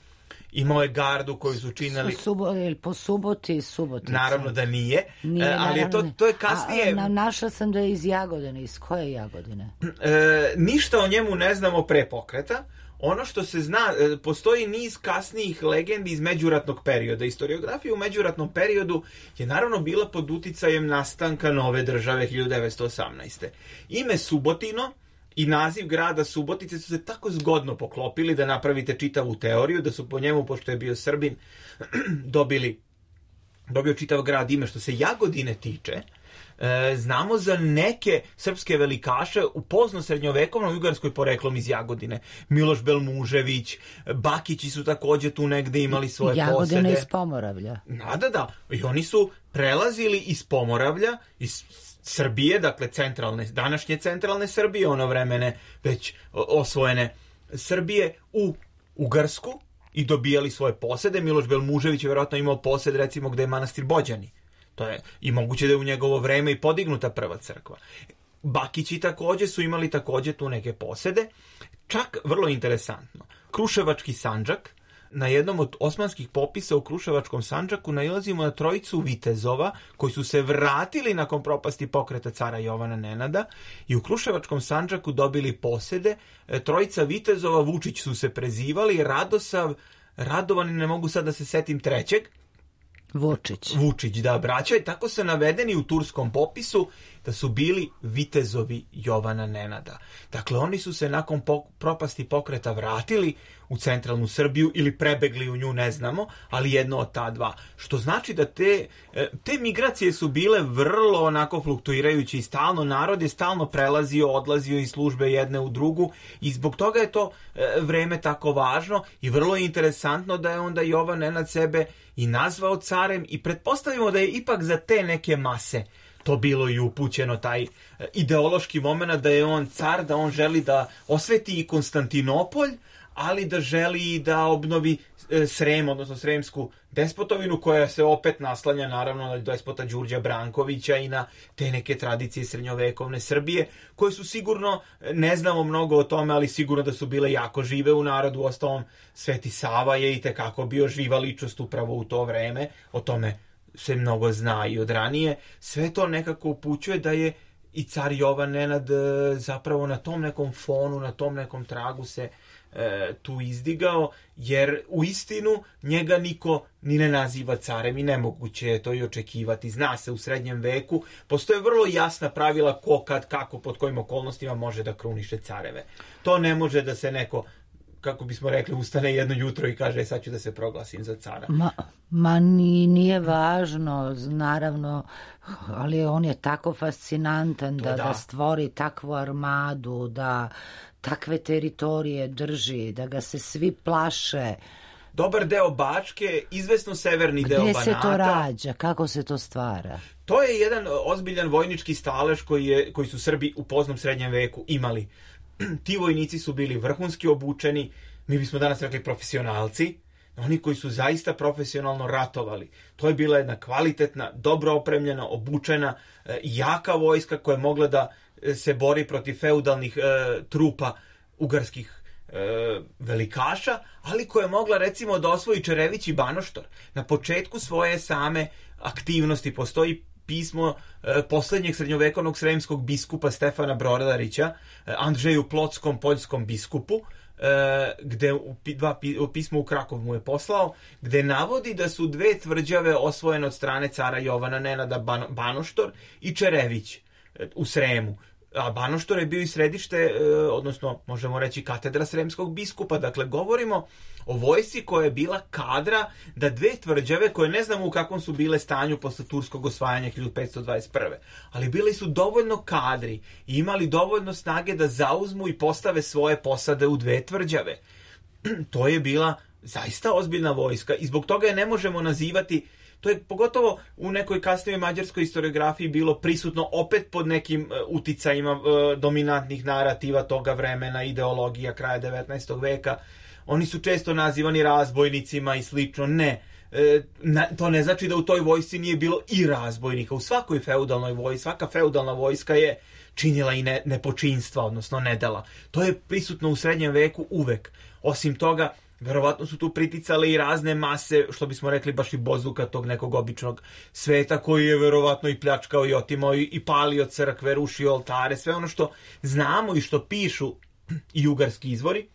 [SPEAKER 6] Imao je gardu koju su činili...
[SPEAKER 1] Subo, po Suboti, Subotica.
[SPEAKER 6] Naravno da nije,
[SPEAKER 1] nije
[SPEAKER 6] ali je to, to je kasnije...
[SPEAKER 1] A, a, našla sam da je iz Jagodine. Iz koje Jagodine?
[SPEAKER 6] E, ništa o njemu ne znamo pre pokreta. Ono što se zna, postoji niz kasnijih legendi iz međuratnog perioda. Historiografija u međuratnom periodu je naravno bila pod uticajem nastanka nove države hiljadu devetsto osamnaeste. Ime Subotino i naziv grada Subotice su se tako zgodno poklopili da napravite čitavu teoriju, da su po njemu, pošto je bio Srbin, dobili, dobio čitav grad ime. Što se Jagodine tiče, e, znamo za neke srpske velikaše u pozno srednjovekovnoj Ugarskoj poreklom iz Jagodine. Miloš Belmužević, Bakići su takođe tu negde imali svoje
[SPEAKER 1] Jagodina
[SPEAKER 6] posede.
[SPEAKER 1] Jagodina iz Pomoravlja.
[SPEAKER 6] Da, da, da. I oni su prelazili iz Pomoravlja, iz Srbije, dakle centralne, današnje centralne Srbije, ono vremene već osvojene Srbije, u Ugarsku i dobijali svoje posede. Miloš Belmužević je vjerojatno imao posed, recimo, gde je manastir Bođani. To je i moguće da je u njegovo vreme i podignuta prva crkva. Bakići takođe su imali takođe tu neke posede. Čak, vrlo interesantno, Kruševački Sandžak, na jednom od osmanskih popisa u Kruševačkom Sandžaku nailazimo na trojicu vitezova koji su se vratili nakon propasti pokreta cara Jovana Nenada i u Kruševačkom Sandžaku dobili posede. Trojica vitezova, Vučić su se prezivali, Radosav, Radovan, ne mogu sad da se setim trećeg,
[SPEAKER 1] Vučić.
[SPEAKER 6] Vučić, da, braća, i tako se navedeni u turskom popisu da su bili vitezovi Jovana Nenada. Dakle, oni su se nakon po- propasti pokreta vratili u centralnu Srbiju ili prebegli u nju, ne znamo, ali jedno od ta dva. Što znači da te, te migracije su bile vrlo onako fluktuirajuće i stalno, narod je stalno prelazio, odlazio iz službe jedne u drugu i zbog toga je to vreme tako važno i vrlo je interesantno da je onda Jovan Nenad sebe i nazvao carem i pretpostavimo da je ipak za te neke mase to bilo i upućeno, taj ideološki moment da je on car, da on želi da osveti i Konstantinopolj, ali da želi i da obnovi Srem, odnosno Sremsku despotovinu, koja se opet naslanja naravno na despota Đurđa Brankovića i na te neke tradicije srednjovekovne Srbije, koje su sigurno, ne znamo mnogo o tome, ali sigurno da su bile jako žive u narodu. Uostalom, Sveti Sava je i tekako bio živa ličnost upravo u to vreme, o tome se mnogo zna i od ranije. Sve to nekako upućuje da je i car Jovan Nenad zapravo na tom nekom fonu, na tom nekom tragu se e, tu izdigao, jer u istinu njega niko ni ne naziva carem i nemoguće je to i očekivati. Zna se, u srednjem veku postoje vrlo jasna pravila ko, kad, kako, pod kojim okolnostima može da kruniše careve. To ne može da se neko, kako bismo rekli, ustane jedno jutro i kaže sad ću da se proglasim za cara.
[SPEAKER 1] Ma, ma ni, nije važno, naravno, ali on je tako fascinantan da, da. da stvori takvu armadu, da takve teritorije drži, da ga se svi plaše.
[SPEAKER 6] Dobar deo Bačke, izvesno severni
[SPEAKER 1] Gde
[SPEAKER 6] deo Banata.
[SPEAKER 1] Gde se to rađa? Kako se to stvara?
[SPEAKER 6] To je jedan ozbiljan vojnički stalež koji, je, koji su Srbi u poznom srednjem veku imali. Ti vojnici su bili vrhunski obučeni, mi bismo danas rekli profesionalci, oni koji su zaista profesionalno ratovali. To je bila jedna kvalitetna, dobro opremljena, obučena, jaka vojska koja je mogla da se bori protiv feudalnih e, trupa ugarskih e, velikaša, ali koja je mogla recimo da osvoji Čerević i Banoštor. Na početku svoje same aktivnosti postoji pismo e, poslednjeg srednjovekovnog sremskog biskupa Stefana Brodarića, e, Andžeju Plotskom poljskom biskupu, e, gde u, dva, u pismo u Krakov mu je poslao, gde navodi da su dve tvrđave osvojene od strane cara Jovana Nenada, Ban, Banoštor i Čerević e, u Sremu. A Banoštor je bio i središte, e, odnosno možemo reći katedra sremskog biskupa. Dakle, govorimo o vojsci koja je bila kadra da dve tvrđave, koje ne znamo u kakvom su bile stanju posle turskog osvajanja hiljadu petsto dvadeset prve. Ali bili su dovoljno kadri i imali dovoljno snage da zauzmu i postave svoje posade u dve tvrđave. To je bila zaista ozbiljna vojska i zbog toga je ne možemo nazivati. To je pogotovo u nekoj kasnijoj mađarskoj historiografiji bilo prisutno opet pod nekim uh, uticajima uh, dominantnih narativa toga vremena, ideologija kraja devetnaestog veka. Oni su često nazivani razbojnicima i slično. Ne, e, na, to ne znači da u toj vojsci nije bilo i razbojnika. U svakoj feudalnoj vojsci, svaka feudalna vojska je činila i ne, nepočinstva, odnosno nedela. To je prisutno u srednjem veku uvek. Osim toga, verovatno su tu priticale i razne mase, što bismo rekli baš i bozuka tog nekog običnog sveta, koji je verovatno i pljačkao i otimao i, i palio crkve, rušio oltare, sve ono što znamo i što pišu i ugarski izvori.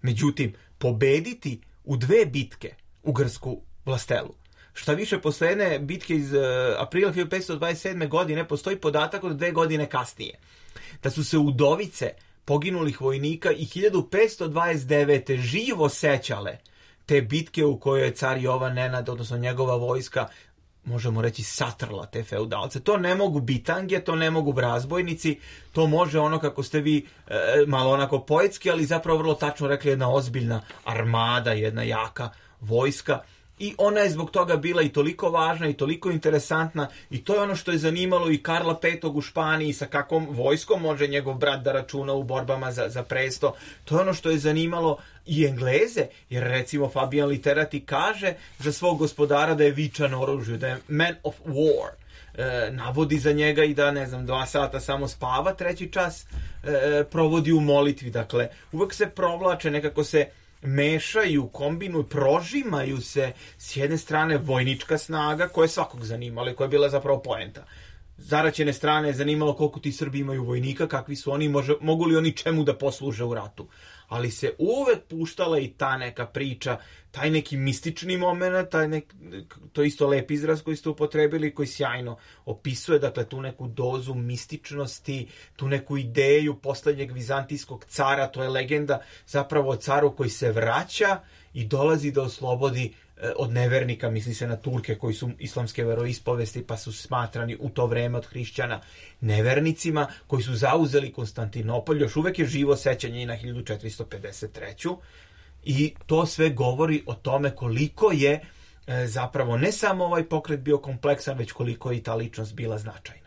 [SPEAKER 6] Međutim, pobediti u dve bitke ugarsku vlastelu. Šta više, posle jedne bitke iz uh, aprila hiljadu petsto dvadeset sedme godine postoji podatak od dve godine kasnije. Da su se udovice poginulih vojnika i hiljadu petsto dvadeset devete. živo sećale te bitke u kojoj je car Jovan Nenad, odnosno njegova vojska, možemo reći, satrla te feudalce. To ne mogu bitange, to ne mogu razbojnici, to može ono kako ste vi e, malo onako poetski, ali zapravo vrlo tačno rekli, jedna ozbiljna armada, jedna jaka vojska. I ona je zbog toga bila i toliko važna i toliko interesantna i to je ono što je zanimalo i Karla petog u Španiji, sa kakvom vojskom može njegov brat da računa u borbama za, za presto. To je ono što je zanimalo i Engleze, jer recimo Fabian Literati kaže za svog gospodara da je vičan oružju, da je man of war. E, navodi za njega i da, ne znam, dva sata samo spava, treći čas e, provodi u molitvi. Dakle, uvek se provlače, nekako se mešaju, kombinuju, prožimaju se s jedne strane vojnička snaga koja je svakog zanimala i koja je bila zapravo poenta. Zaraćene strane je zanimalo koliko ti Srbi imaju vojnika, kakvi su oni, može, mogu li oni čemu da posluže u ratu. Ali se uvek puštala i ta neka priča, taj neki mistični moment, taj nek, to je isto lep izraz koji ste upotrebili, koji sjajno opisuje, dakle, tu neku dozu mističnosti, tu neku ideju poslednjeg vizantijskog cara, to je legenda zapravo o caru koji se vraća i dolazi da oslobodi od nevernika, misli se na Turke koji su islamske veroispovesti pa su smatrani u to vreme od hrišćana nevernicima, koji su zauzeli Konstantinopolj. Još uvek je živo sećanje i na hiljadu četiristo pedeset treću. I to sve govori o tome koliko je e, zapravo ne samo ovaj pokret bio kompleksan, već koliko je i ta ličnost bila značajna.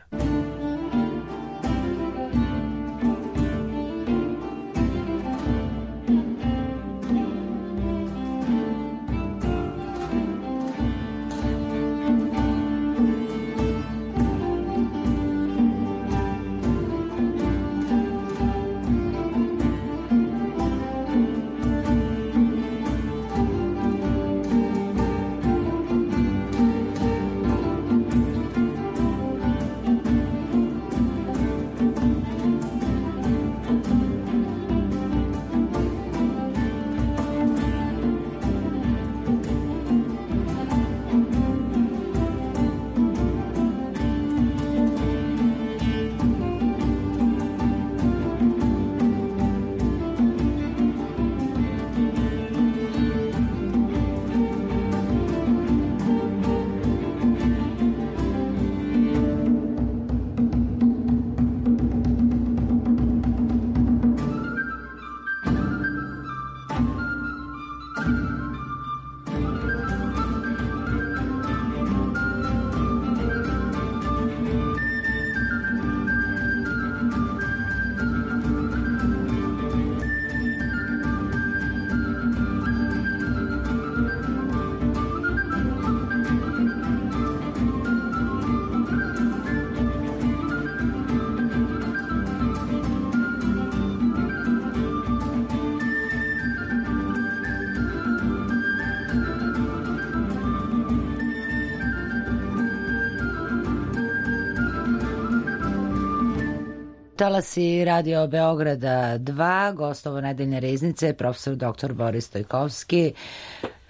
[SPEAKER 1] Talasi Radio Beograda dva, gostovo nedeljne riznice, profesor doktor Boris Stojkovski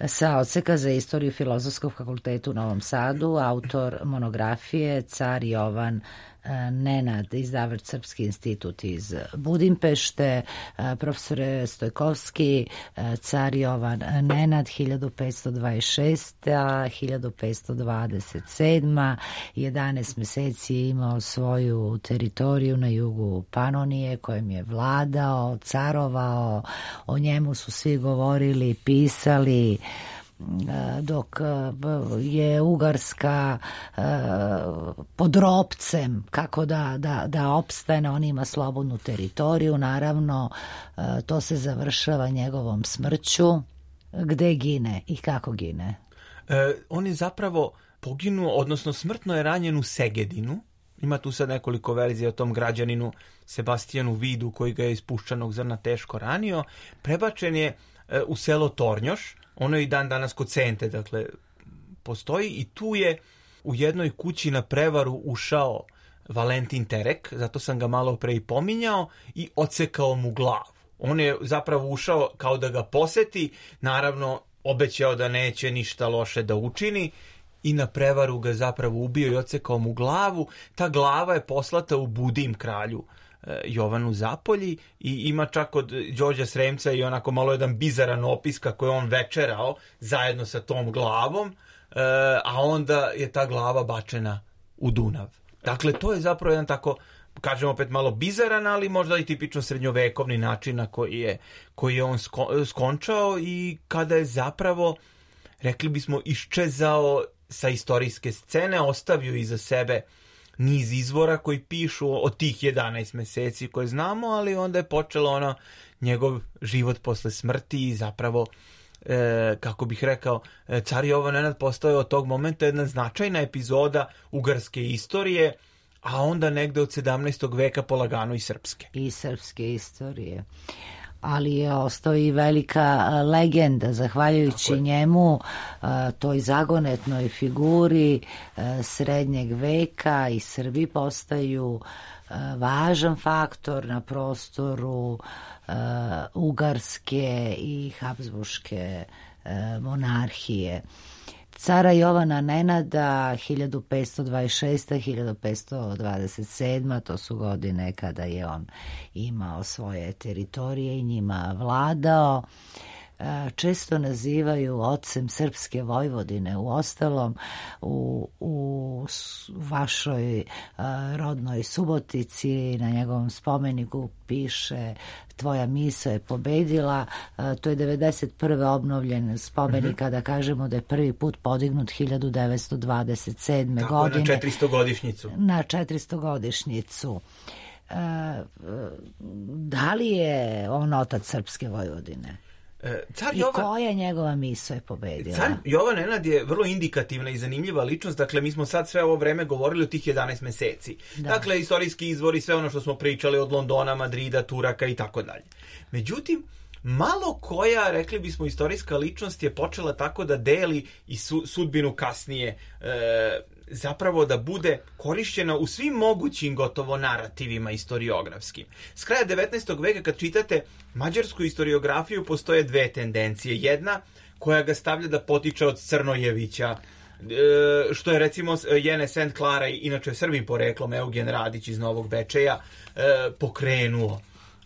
[SPEAKER 1] sa odseka za istoriju Filozofskog fakulteta u Novom Sadu, autor monografije Car Jovan Nenad, izdavač Srpski institut iz Budimpešte. Profesore Stojkovski, car Jovan Nenad hiljadu petsto dvadeset šesta do hiljadu petsto dvadeset sedma. jedanaest meseci je imao svoju teritoriju na jugu Panonije kojim je vladao, carovao, o njemu su svi govorili, pisali, dok je Ugarska pod ropcem kako da, da, da opstane, on ima slobodnu teritoriju, naravno to se završava njegovom smrću. Gde gine i kako gine?
[SPEAKER 6] E, on je zapravo poginuo, odnosno smrtno je ranjen u Segedinu. Ima tu sad nekoliko verzija o tom građaninu Sebastijanu Vidu koji ga je iz puščanog zrna teško ranio. Prebačen je e, u selo Tornjoš. Ono je i dan danas kod Sente, dakle, postoji i tu je u jednoj kući na prevaru ušao Valentin Terek, zato sam ga malo pre i pominjao, i odsekao mu glavu. On je zapravo ušao kao da ga poseti, naravno obećao da neće ništa loše da učini i na prevaru ga zapravo ubio i odsekao mu glavu. Ta glava je poslata u Budim kralju Jovanu Zapolji i ima čak od Đorđa Sremca i onako malo jedan bizaran opis kako je on večerao zajedno sa tom glavom, a onda je ta glava bačena u Dunav. Dakle, to je zapravo jedan tako, kažem opet malo bizaran, ali možda i tipično srednjovekovni način na koji je, koji je on sko, skončao i kada je zapravo, rekli bismo, iščezao sa istorijske scene, ostavio iza sebe niz izvora koji pišu o tih jedanaest meseci koje znamo, ali onda je počelo ono njegov život posle smrti i zapravo, e, kako bih rekao, car Jovan Nenad postao je od tog momenta jedna značajna epizoda ugarske istorije, a onda negde od sedamnaestog veka polagano i srpske.
[SPEAKER 1] I srpske istorije. Ali je ostao i velika legenda, zahvaljujući njemu, toj zagonetnoj figuri srednjeg veka i Srbi postaju važan faktor na prostoru Ugarske i Habsburške monarhije. Cara Jovana Nenada hiljadu petsto dvadeset šesta do hiljadu petsto dvadeset sedma to su godine kada je on imao svoje teritorije i njima vladao. Često nazivaju ocem srpske Vojvodine. U ostalom, u, u vašoj rodnoj Subotici na njegovom spomeniku piše tvoja misa je pobedila. To je devedeset prve obnovljen spomenik, mm-hmm. kada kažemo da je prvi put podignut hiljadu devetsto dvadeset sedme
[SPEAKER 6] Tako,
[SPEAKER 1] godine.
[SPEAKER 6] na četiristogodišnjicu.
[SPEAKER 1] Na četiristogodišnjicu. Da li je on otac srpske Vojvodine?
[SPEAKER 6] Car
[SPEAKER 1] I
[SPEAKER 6] Jovan,
[SPEAKER 1] koja njegova misa je pobedila?
[SPEAKER 6] Car Jovan Nenad je vrlo indikativna i zanimljiva ličnost. Dakle, mi smo sad sve ovo vreme govorili o tih jedanaest meseci. Da. Dakle, istorijski izvori, sve ono što smo pričali od Londona, Madrida, Turaka i tako dalje. Međutim, malo koja, rekli bismo, istorijska ličnost je počela tako da deli i su, sudbinu kasnije, e, zapravo da bude korišćena u svim mogućim gotovo narativima historiografskim. S kraja devetnaestog veka kad čitate mađarsku historiografiju postoje dve tendencije. Jedna koja ga stavlja da potiče od Crnojevića, što je recimo Jene Saint Clara, inače Srbin poreklom, Eugen Radić iz Novog Bečeja, pokrenuo.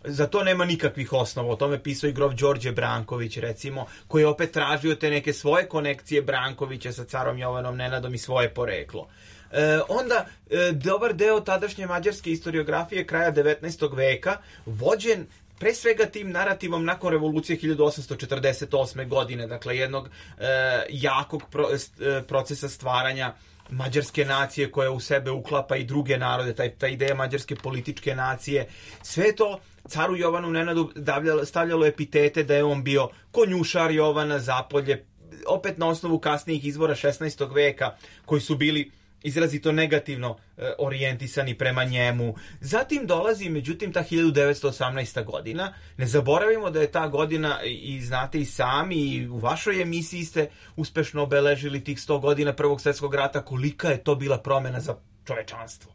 [SPEAKER 6] Za to nema nikakvih osnova. O tome pisao i grof Đorđe Branković, recimo, koji je opet tražio te neke svoje konekcije Brankovića sa carom Jovanom Nenadom i svoje poreklo. E, onda, e, dobar deo tadašnje mađarske historiografije kraja devetnaestog veka, vođen pre svega tim narativom nakon revolucije hiljadu osamsto četrdeset osme godine, dakle jednog e, jakog pro, e, procesa stvaranja mađarske nacije koja u sebe uklapa i druge narode, taj, ta ideja mađarske političke nacije, sve to caru Jovanu Nenadu davljalo, stavljalo epitete da je on bio konjušar Jovana Zapolje, opet na osnovu kasnijih izvora šesnaestog veka koji su bili izrazito negativno e, orijentisani prema njemu. Zatim dolazi, međutim, ta hiljadu devetsto osamnaesta godina. Ne zaboravimo da je ta godina, i znate i sami, i u vašoj emisiji ste uspešno obeležili tih sto godina Prvog svjetskog rata, kolika je to bila promena za čovečanstvo.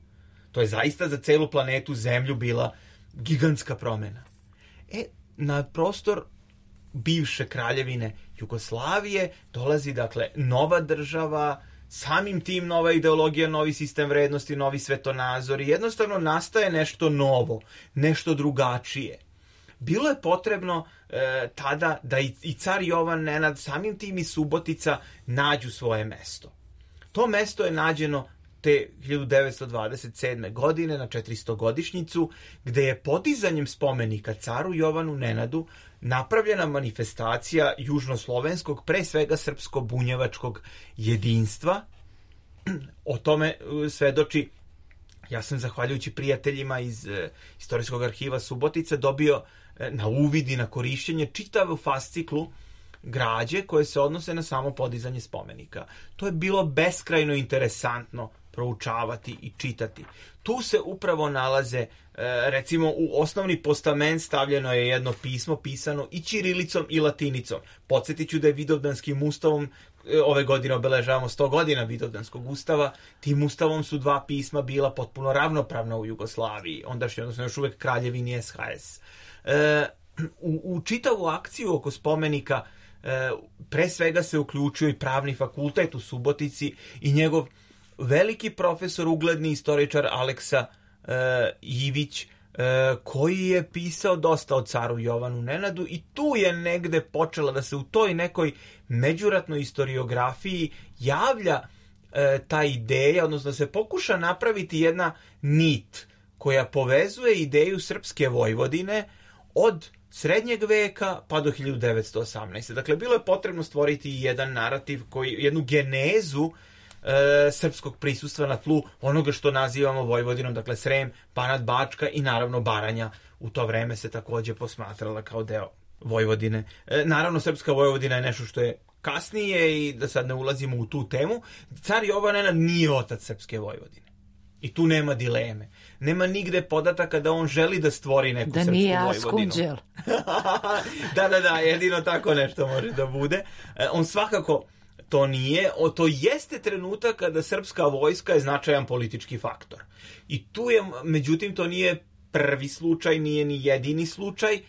[SPEAKER 6] To je zaista za celu planetu Zemlju bila gigantska promena. E, na prostor bivše kraljevine Jugoslavije dolazi, dakle, nova država, samim tim nova ideologija, novi sistem vrednosti, novi svetonazor i jednostavno nastaje nešto novo, nešto drugačije. Bilo je potrebno e, tada da i, i car Jovan Nenad, samim tim i Subotica, nađu svoje mesto. To mesto je nađeno te hiljadu devetsto dvadeset sedme godine na četiristogodišnjicu, gde je podizanjem spomenika caru Jovanu Nenadu napravljena manifestacija južnoslovenskog, pre svega srpsko-bunjevačkog jedinstva. O tome svedoči, ja sam zahvaljujući prijateljima iz e, Istorijskog arhiva Subotice dobio e, na uvid i na korišćenje čitavu fasciklu građe koje se odnose na samo podizanje spomenika. To je bilo beskrajno interesantno proučavati i čitati. Tu se upravo nalaze, recimo u osnovni postament stavljeno je jedno pismo pisano i ćirilicom i latinicom. Podsjetit ću da je Vidovdanskim ustavom, ove godine obeležavamo sto godina Vidovdanskog ustava, tim ustavom su dva pisma bila potpuno ravnopravna u Jugoslaviji, ondašnje, odnosno još uvek Kraljevini S H S. E, u, u čitavu akciju oko spomenika e, pre svega se uključio i pravni fakultet u Subotici i njegov veliki profesor, ugledni istoričar Aleksa e, Ivić, koji je pisao dosta o caru Jovanu Nenadu i tu je negde počela da se u toj nekoj međuratnoj historiografiji javlja e, ta ideja, odnosno da se pokuša napraviti jedna nit koja povezuje ideju srpske Vojvodine od srednjeg veka pa do hiljadu devetsto osamnaeste. Dakle, bilo je potrebno stvoriti jedan narativ, koji, jednu genezu E, srpskog prisustva na tlu onoga što nazivamo Vojvodinom, dakle Srem, Banat, Bačka i naravno Baranja u to vreme se takođe posmatrala kao deo Vojvodine. E, naravno, srpska Vojvodina je nešto što je kasnije i da sad ne ulazimo u tu temu. Car Jovan Nenad nije otac srpske Vojvodine. I tu nema dileme. Nema nigde podataka da on želi da stvori neku
[SPEAKER 1] da
[SPEAKER 6] srpsku
[SPEAKER 1] nije
[SPEAKER 6] Vojvodinu.
[SPEAKER 1] Askunđel.
[SPEAKER 6] da, da, da, jedino tako nešto može da bude. E, on svakako to nije, o, to jeste trenutak kada srpska vojska je značajan politički faktor. I tu je, međutim, to nije prvi slučaj, nije ni jedini slučaj,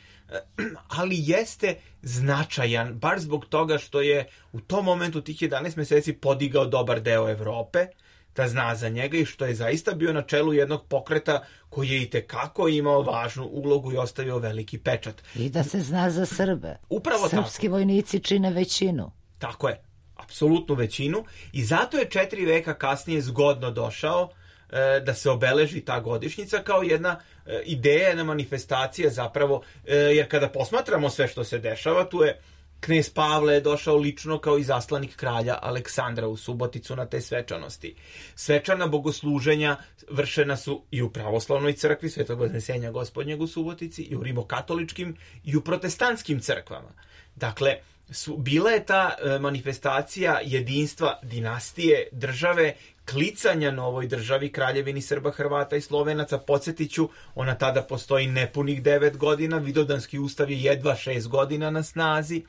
[SPEAKER 6] ali jeste značajan, baš zbog toga što je u tom momentu tih jedanaest meseci podigao dobar deo Evrope, da zna za njega i što je zaista bio na čelu jednog pokreta koji je itekako imao važnu ulogu i ostavio veliki pečat.
[SPEAKER 1] I da se zna za Srbe.
[SPEAKER 6] Upravo
[SPEAKER 1] Srpski
[SPEAKER 6] tako.
[SPEAKER 1] vojnici čine većinu.
[SPEAKER 6] Tako je. Apsolutnu većinu i zato je četiri veka kasnije zgodno došao e, da se obeleži ta godišnjica kao jedna e, ideja, jedna manifestacija zapravo, e, jer kada posmatramo sve što se dešava, tu je knez Pavle je došao lično kao i zaslanik kralja Aleksandra u Suboticu na te svečanosti. Svečana bogosluženja vršena su i u pravoslavnoj crkvi Svetog Vaznesenja Gospodnjeg u Subotici, i u rimokatoličkim i u protestantskim crkvama. Dakle, Su, bila je ta e, manifestacija jedinstva dinastije, države, klicanja novoj državi, Kraljevini Srba, Hrvata i Slovenaca. Podsjetiću, ona tada postoji nepunih devet godina, Vidovdanski ustav je jedva šest godina na snazi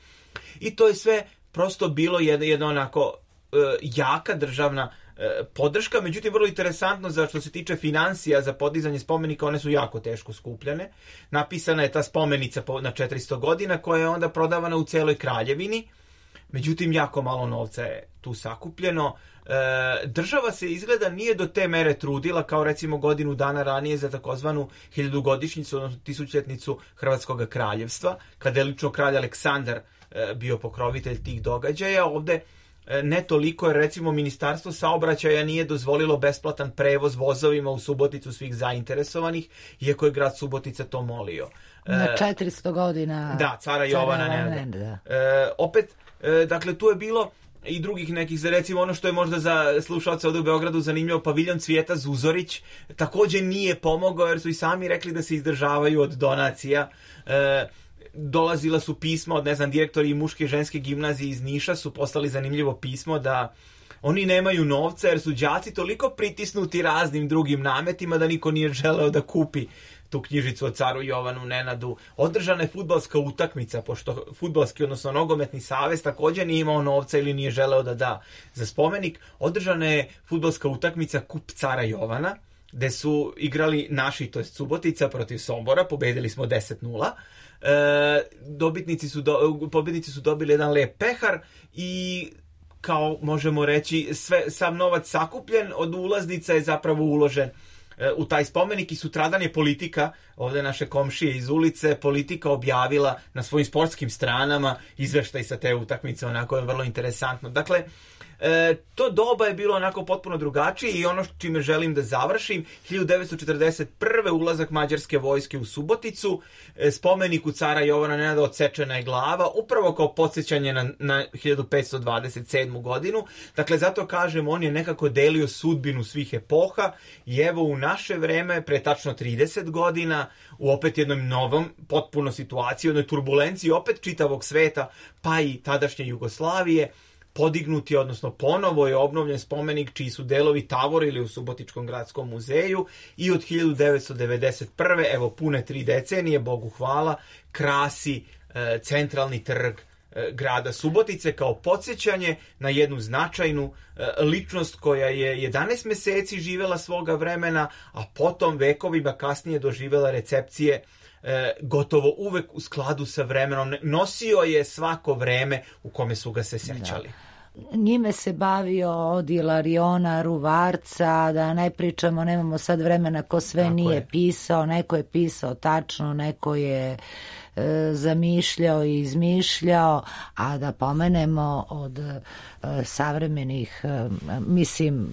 [SPEAKER 6] i to je sve prosto bilo jedna, jedna onako e, jaka državna e, podrška. Međutim, vrlo interesantno za što se tiče finansija za podizanje spomenika, one su jako teško skupljane. Napisana je ta spomenica po, na četiristo godina koja je onda prodavana u celoj kraljevini. Međutim, jako malo novca je tu sakupljeno. E, država se izgleda nije do te mere trudila kao recimo godinu dana ranije za takozvanu hiljadugodišnjicu, odnosno tisućljetnicu Hrvatskog kraljevstva, kada je lično kralj Aleksandar e, bio pokrovitelj tih događaja. Ovde ne toliko, jer recimo Ministarstvo saobraćaja nije dozvolilo besplatan prevoz vozovima u Suboticu svih zainteresovanih, iako je grad Subotica to molio.
[SPEAKER 1] Na četiristo godina
[SPEAKER 6] da, cara Jovana Nenada. E, opet, e, dakle, tu je bilo i drugih nekih, za recimo ono što je možda za slušalce ovdje u Beogradu zanimljivo, paviljon Cvijeta Zuzorić također nije pomogao, jer su i sami rekli da se izdržavaju od donacija. E, dolazila su pisma od, ne znam, direktori muške i ženske gimnazije iz Niša su poslali zanimljivo pismo da oni nemaju novca jer su đaci toliko pritisnuti raznim drugim nametima da niko nije želeo da kupi tu knjižicu o caru Jovanu Nenadu. Održana je fudbalska utakmica, pošto fudbalski, odnosno nogometni savez također nije imao novca ili nije želeo da da za spomenik. Održana je fudbalska utakmica Kup cara Jovana, gde su igrali naši, to je Subotica protiv Sombora, pobedili smo deset nula. E, dobitnici su do, pobednici su dobili jedan lep pehar i kao možemo reći sve, sav novac sakupljen od ulaznica je zapravo uložen e, u taj spomenik i sutradan je Politika, ovdje naše komšije iz ulice, Politika objavila na svojim sportskim stranama izveštaj sa te utakmice, onako je vrlo interesantno. Dakle, E, to doba je bilo onako potpuno drugačije i ono čime želim da završim, hiljadu devetsto četrdeset prve ulazak mađarske vojske u Suboticu, e, spomeniku cara Jovana Nenada odsečena je glava, upravo kao podsjećanje na, na hiljadu petsto dvadeset sedmu godinu. Dakle, zato kažem, on je nekako delio sudbinu svih epoha i evo u naše vreme, pre tačno trideset godina, u opet jednom novom, potpuno situaciji, jednoj turbulenciji opet čitavog sveta, pa i tadašnje Jugoslavije, podignuti, odnosno ponovo je obnovljen spomenik čiji su delovi tavorili u Subotičkom gradskom muzeju i od hiljadu devetsto devedeset prve, evo pune tri decenije, Bogu hvala, krasi e, centralni trg e, grada Subotice kao podsjećanje na jednu značajnu e, ličnost koja je jedanaest meseci živela svoga vremena, a potom vekovima kasnije doživela recepcije E, gotovo uvek u skladu sa vremenom. Nosio je svako vreme u kome su ga se sećali.
[SPEAKER 1] Njime se bavio od Ilariona, Ruvarca, da ne pričamo, nemamo sad vremena ko sve Tako nije je. pisao, neko je pisao tačno, neko je e, zamišljao i izmišljao, a da pomenemo od e, savremenih, e, mislim,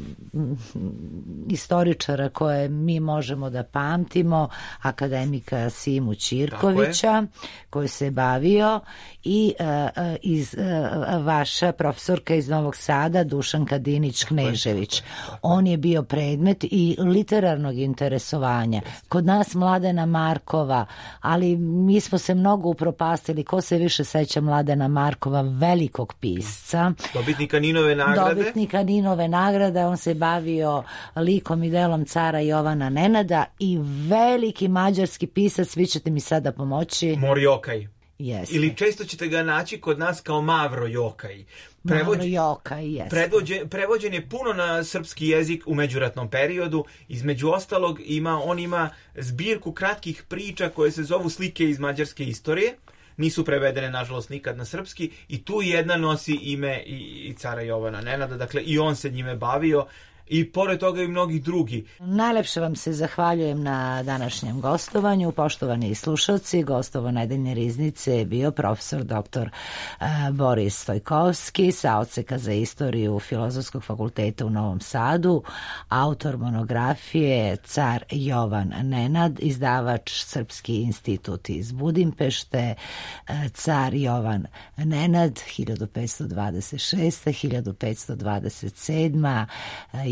[SPEAKER 1] istoričara koje mi možemo da pamtimo, akademika Simu Ćirkovića, koji se bavio, i e, iz e, vaša profesorka iz Novog Sada, Dušanka Dinić-Knežević. On je bio predmet i literarnog interesovanja. Kod nas Mladena Markova, ali mi smo se mnogo upropastili. Ko se više seća Mladena Markova, velikog pisca.
[SPEAKER 6] Dobitnika Ninove nagrade.
[SPEAKER 1] Dobitnika Ninove nagrade. On se bavio likom i delom cara Jovana Nenada i veliki mađarski pisac, vi ćete mi sada pomoći.
[SPEAKER 6] Morjokaj.
[SPEAKER 1] Jeste.
[SPEAKER 6] Ili često ćete ga naći kod nas kao Mavro Jokaj.
[SPEAKER 1] Prevođen, Mavro Jokaj, jeste.
[SPEAKER 6] Prevođen, prevođen je puno na srpski jezik u međuratnom periodu. Između ostalog, ima, on ima zbirku kratkih priča koje se zovu Slike iz mađarske istorije. Nisu prevedene, nažalost, nikad na srpski. I tu jedna nosi ime i, i cara Jovana Nenada. Dakle, i on se njime bavio. I pored toga i mnogi drugi.
[SPEAKER 1] Najlepše vam se zahvaljujem na današnjem gostovanju. Poštovani slušalci, gostovo Nedeljne riznice je bio profesor doktor Boris Stojkovski sa odseka za istoriju Filozofskog fakulteta u Novom Sadu, autor monografije Car Jovan Nenad, izdavač Srpski institut iz Budimpešte, Car Jovan Nenad hiljadu petsto dvadeset šesta do hiljadu petsto dvadeset sedma.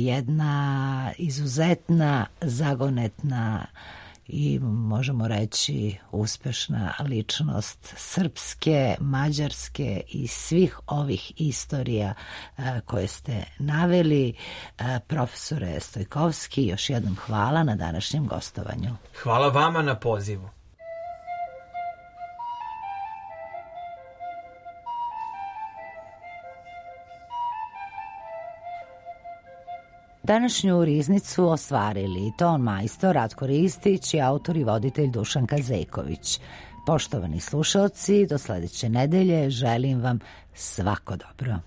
[SPEAKER 1] Jedna izuzetna, zagonetna i možemo reći uspešna ličnost srpske, mađarske i svih ovih istorija koje ste naveli. Profesore Stojkovski, još jednom hvala na današnjem gostovanju.
[SPEAKER 6] Hvala vama na pozivu.
[SPEAKER 1] Današnju riznicu ostvarili ton majstor Ratko Ristić i autor i voditelj Dušanka Zeković. Poštovani slušalci, do sledeće nedelje želim vam svako dobro.